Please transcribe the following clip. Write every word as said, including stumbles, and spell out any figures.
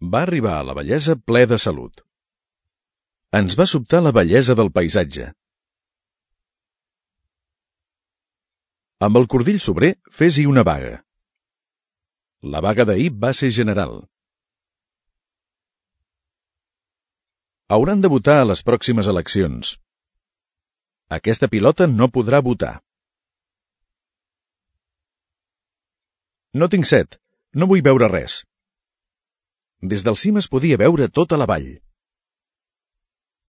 Va arribar a la vellesa ple de salut. Ens va sobtar la bellesa del paisatge. Amb el cordill sobrer, fes-hi una vaga. La vaga d'ahir va ser general. Hauran de votar a les pròximes eleccions. Aquesta pilota no podrà votar. No tinc set, no vull veure res. Des del cim es podia veure tota la vall.